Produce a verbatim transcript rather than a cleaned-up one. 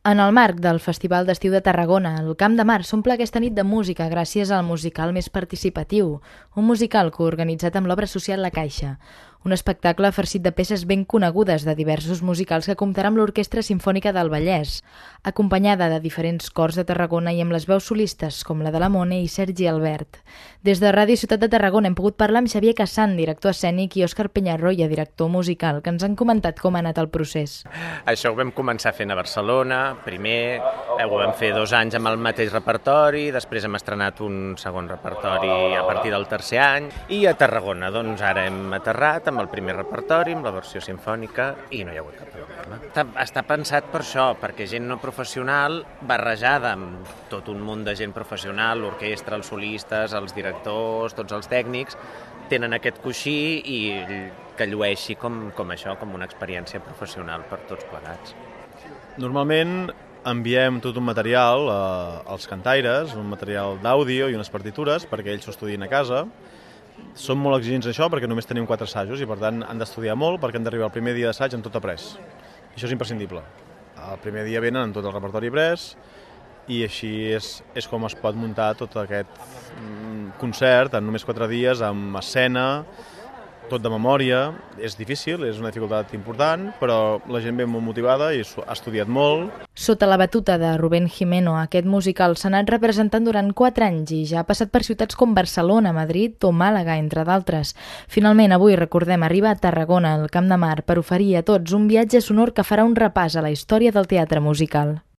En el marc del Festival d'Estiu de Tarragona, el Camp de Mar s'omple aquesta nit de música gràcies al musical més participatiu, un musical coorganitzat amb l'obra social La Caixa, un espectacle farcit de peces ben conegudes de diversos musicals que comptarà amb l'Orquestra Simfònica del Vallès, acompanyada de diferents cors de Tarragona i amb les veus solistes com la de la Mone i Sergi Albert. Des de Ràdio Ciutat de Tarragona hem pogut parlar amb Xavier Cassan, director escènic, i Òscar Peñarroya, director musical, que ens han comentat com ha anat el procés. Això ho vam començar fent a Barcelona, primer eh, ho vam fer dos anys amb el mateix repertori, després hem estrenat un segon repertori a partir del tercer any, i a Tarragona, doncs ara hem aterrat amb el primer repertori, amb la versió simfònica, i no hi ha hagut cap problema. Està, està pensat per això, perquè gent no professional, barrejada amb tot un munt de gent professional, l'orquestra, els solistes, els directors, tots els tècnics, tenen aquest coixí i que llueixi com, com això, com una experiència professional per tots plegats. Normalment enviem tot un material eh, als cantaires, un material d'àudio i unes partitures perquè ells s'ho estudien a casa. Som molt exigents en això perquè només tenim quatre assajos i per tant han d'estudiar molt perquè han d'arribar el primer dia d'assaig amb tot après. I això és imprescindible. El primer dia venen amb tot el repertori pres i així és, és com es pot muntar tot aquest concert en només quatre dies amb escena, tot de memòria. És difícil, és una dificultat important, però la gent ve molt motivada i ha estudiat molt. Sota la batuta de Rubén Jimeno, aquest musical s'ha anat representant durant quatre anys i ja ha passat per ciutats com Barcelona, Madrid o Màlaga, entre d'altres. Finalment, avui, recordem, arriba a Tarragona, al Camp de Mar, per oferir a tots un viatge sonor que farà un repàs a la història del teatre musical.